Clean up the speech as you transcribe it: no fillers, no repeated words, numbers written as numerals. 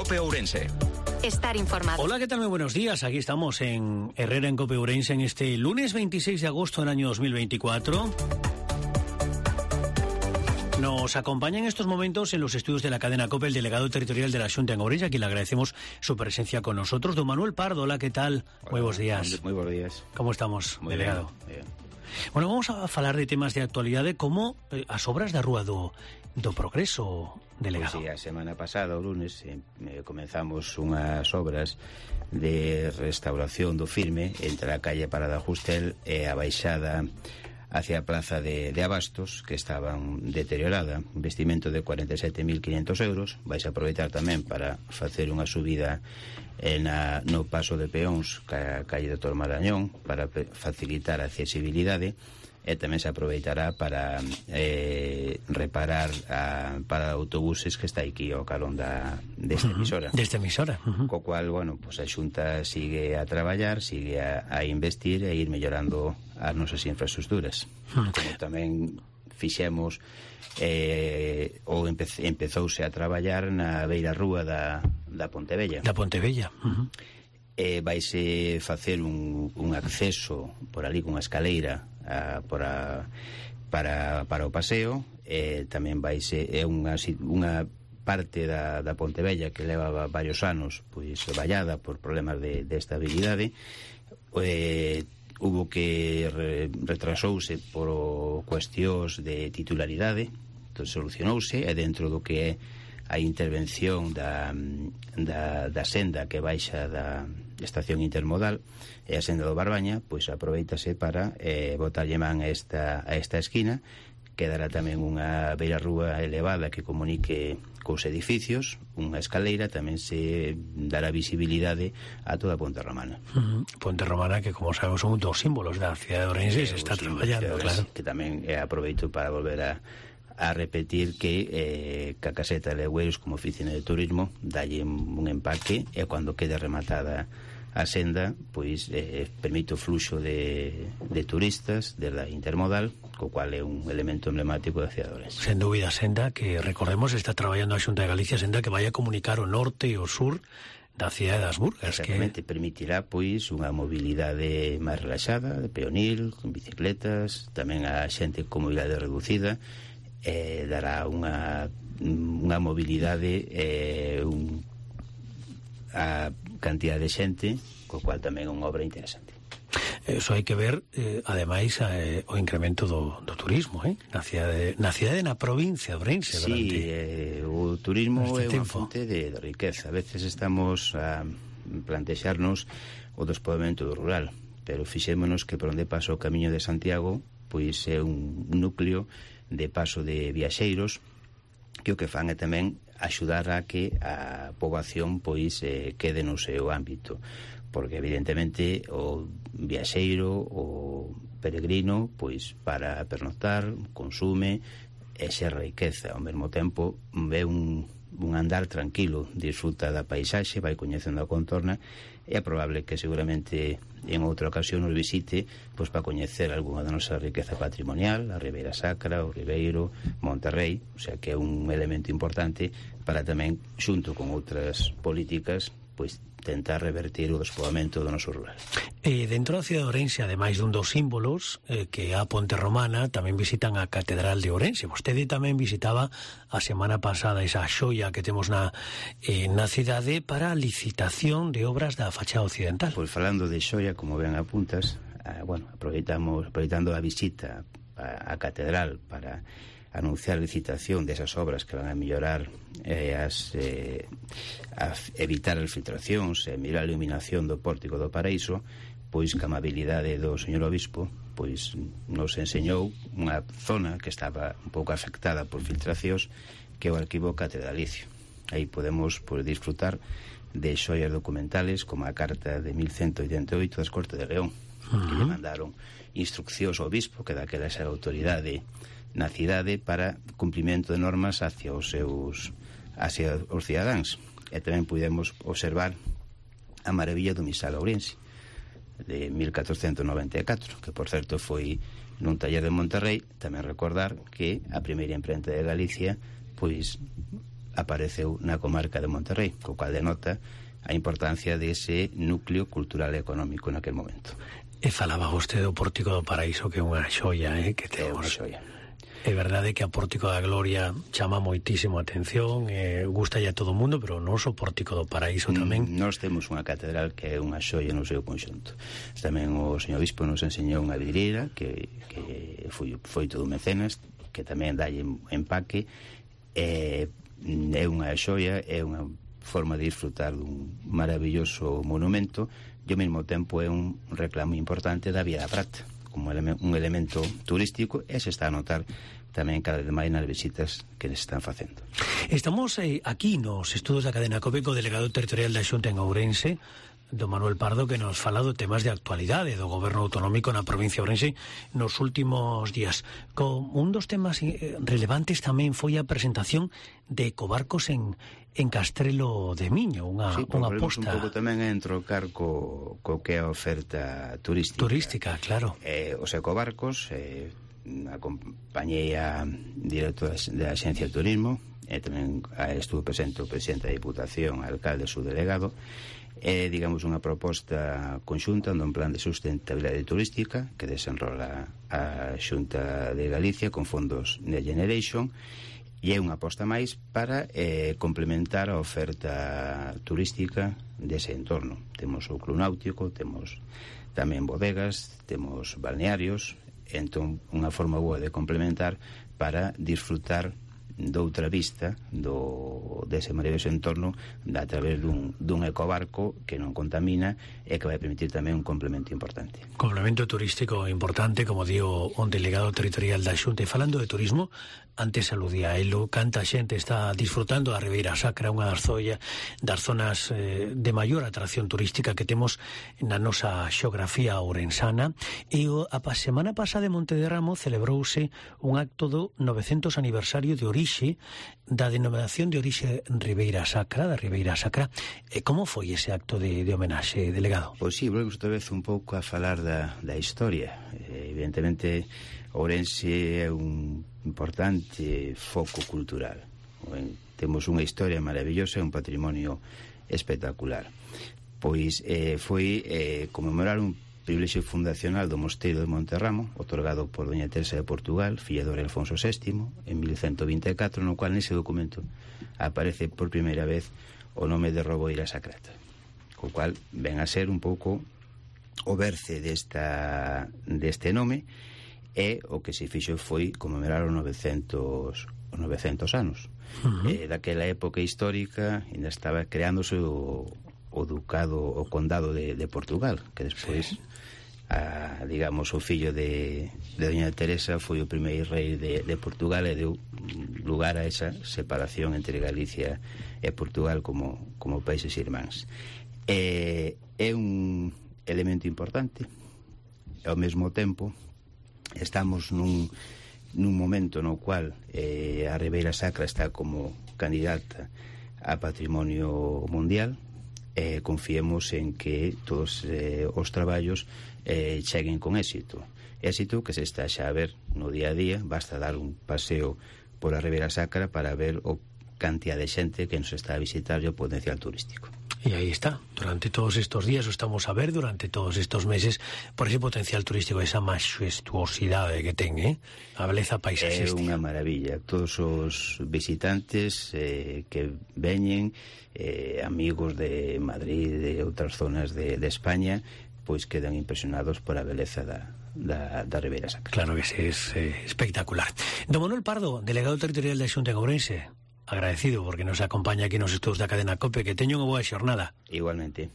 COPE Ourense. Estar informado. Hola, ¿qué tal? Muy buenos días. Aquí estamos en Herrera, en COPE Ourense, en este lunes 26 de agosto del año 2024. Nos acompaña en estos momentos en los estudios de la cadena COPE el delegado territorial de la Xunta en Ourense, a quien le agradecemos su presencia con nosotros. Don Manuel Pardo, hola, ¿qué tal? Hola, muy buenos días. Muy buenos días. ¿Cómo estamos, muy delegado? Bien. Bueno, vamos a falar de temas de actualidade como as obras da Rúa do Progreso, delegado. Pois sí, a semana pasada, o lunes, comenzamos unhas obras de restauración do firme entre a calle Parada Justel e a baixada hacia a plaza de Abastos, que estaban deteriorada, investimento de 47.500 euros. Vais a aproveitar tamén para facer unha subida no paso de peóns ca calle do Marañón para facilitar a accesibilidade, e tamén se aproveitará para reparar a parada de autobuses que está aquí ao calón desta emisora. Desta emisora. Co cual, bueno, pues a Xunta sigue a traballar, sigue a investir e ir mellorando as nosas infraestructuras. Como tamén fixemos ou empezouse a traballar na beira rúa da Pontevella. Da Pontevella. Vaise facer un acceso por ali cunha escaleira para o paseo. Tamén vaise unha parte da Pontevella que levaba varios anos pois vallada por problemas de estabilidade. Hubo que retrasouse por cuestións de titularidade, entón solucionouse, e dentro do que é a intervención da senda que baixa da estación intermodal e a senda do Barbaña, pois aproveitase para botarlle man a esta esquina. Quedará tamén unha beira rúa elevada que comunique cos edificios, unha escaleira, tamén se dará visibilidade a toda a Ponte Romana. Ponte Romana, que como sabemos son un dos símbolos da cidade de Ourense, se está traballando, claro. Que tamén aproveito para volver a repetir que a caseta de Legüeiros como oficina de turismo dalle un empaque, e cando quede rematada a senda, pois permite o fluxo de turistas desde a intermodal, co cual é un elemento emblemático da cidade de Ourense. Sen dúbida, senda que, recordemos, está traballando a Xunta de Galicia, senda que vai a comunicar o norte e o sur da cidade das Burgas. Exactamente, que permitirá pois unha mobilidade máis relaxada, de peonil, con bicicletas, tamén a xente con mobilidade reducida, dará unha mobilidade a cantidad de xente, co cual tamén é unha obra interesante. Eso hai que ver, ademais, o incremento do turismo, na cidade, na provincia de Ourense. Sí, o turismo é unha fonte de riqueza. A veces estamos a plantexarnos o despoboamento do rural, pero fixémonos que por onde pasa o Camiño de Santiago, pois é un núcleo de paso de viaxeiros que o que fan é tamén axudar a que a poboación pois quede no seu ámbito, porque evidentemente o viaxeiro, o peregrino, pois para pernoctar, consume e se riqueza. Ao mesmo tempo ve un andar tranquilo, disfruta da paisaxe, vai coñecendo a contorna, e é probable que seguramente en outra ocasión nos visite pois para coñecer algunha da nosa riqueza patrimonial, a Ribeira Sacra, o Ribeiro, Monterrey, o sea que é un elemento importante para tamén, xunto con outras políticas, pois tentar revertir o despoboamento do noso rural. Dentro da cidade de Ourense, ademais dun dos símbolos que é a Ponte Romana, tamén visitan a Catedral de Ourense. Vostede tamén visitaba a semana pasada esa xoia que temos na cidade para a licitación de obras da fachada occidental. Pois falando de xoia, como ben apuntas, aproveitando a visita á Catedral para anunciar a licitación desas obras que van a mellorar a evitar as filtracións e mellorar a iluminación do pórtico do Paraíso, pois que a amabilidade do señor obispo pois nos enseñou unha zona que estaba un pouco afectada por filtracións, que é o arquivo catedralicio. Aí podemos disfrutar de xoias documentales como a carta de 1188 das Cortes de León, que lle mandaron instruccións ao obispo, que daquela xa autoridade na cidade, para cumprimento de normas hacia os cidadáns. E tamén pudemos observar a maravilla do Misal Ourense de 1494, que por certo foi nun taller de Monterrey. Tamén recordar que a primeira imprenta de Galicia pois apareceu na comarca de Monterrey, co cual denota a importancia dese núcleo cultural e económico naquel momento. E falaba vostede do Pórtico do Paraíso, que é unha xoia, que temos. É unha xoia. É verdade que a Pórtico da Gloria chama moitísimo a atención, gusta a todo o mundo, pero o noso Pórtico do Paraíso tamén. Nós temos unha catedral que é unha xoia no seu conxunto. Tamén o señor Bispo nos enseñou unha vidreira que foi todo mecenas, que tamén dalle empaque. É unha xoia, é unha forma de disfrutar dun maravilloso monumento e ao mesmo tempo é un reclamo importante da Vía da Prata como un elemento turístico, e se está a notar tamén cada vez máis nas visitas que les están facendo. Estamos aquí nos estudos da cadena COPE co delegado territorial da Xunta en Ourense, do Manuel Pardo, que nos fala de temas de actualidade do goberno autonómico na provincia de Ourense nos últimos días. Un dos temas relevantes tamén foi a presentación de ecobarcos en Castrelo de Miño, unha aposta. Un pouco tamén a entrocar co que é a oferta turística. Turística, claro. Os ecobarcos, acompañei a directora da Axencia de Turismo, e tamén estuvo presente o presidente da Diputación, alcalde e su delegado. É, digamos, unha proposta conxunta un plan de sustentabilidade turística que desenrola a Xunta de Galicia con fondos Next Generation, e é unha aposta máis para complementar a oferta turística dese entorno. Temos o Club Náutico, temos tamén bodegas, temos balnearios, entón unha forma boa de complementar para disfrutar doutra vista dese maravilloso entorno a través dun ecobarco que non contamina e que vai permitir tamén un complemento importante. Complemento turístico importante, como digo, un delegado territorial da Xunta. E falando de turismo, antes aludía a elo, canta xente está disfrutando da Ribeira Sacra, unha das zonas de maior atracción turística que temos na nosa xeografía ourensana. E a semana pasada en Montederramo celebrouse un acto do 900 aniversario de orixe da denominación de orixe Ribeira Sacra, da Ribeira Sacra. Como foi ese acto de homenaxe, delegado? Pois sí, volvemos outra vez un pouco a falar da historia. Evidentemente, Ourense é un importante foco cultural. Temos unha historia maravillosa e un patrimonio espectacular. Pois foi conmemorar un privilexio fundacional do Mosteiro de Monterramo, otorgado por doña Teresa de Portugal, filla do rei Alfonso VII, en 1124, no cual nese documento aparece por primeira vez o nome de Ribeira Sacra, co cual ven a ser un pouco o berce deste nome, e o que se fixo foi conmemorar os 900 anos. Daquela época histórica ainda estaba creándose o ducado, o condado de Portugal, que despois digamos, o fillo de doña Teresa foi o primeiro rei de Portugal e deu lugar a esa separación entre Galicia e Portugal como países irmáns. É un elemento importante, e ao mesmo tempo estamos nun momento no cual a Ribeira Sacra está como candidata a Patrimonio Mundial. Confiemos en que todos os traballos cheguen con éxito que se está xa a ver no día a día. Basta dar un paseo por a Ribeira Sacra para ver o cantidad de xente que nos está a visitar e o potencial turístico. E aí está, durante todos estos días o estamos a ver, durante todos estos meses, por ese potencial turístico, esa majestuosidade que ten, a beleza paisaxística. É unha maravilla. Todos os visitantes que veñen, amigos de Madrid, de outras zonas de España, pois quedan impresionados por a beleza da Ribeira Sacra. Claro que sí, es espectacular. Don Manuel Pardo, delegado territorial da Xunta en Ourense, agradecido porque nos acompaña aquí nos estudos da cadena COPE. Que teño unha boa xornada. Igualmente.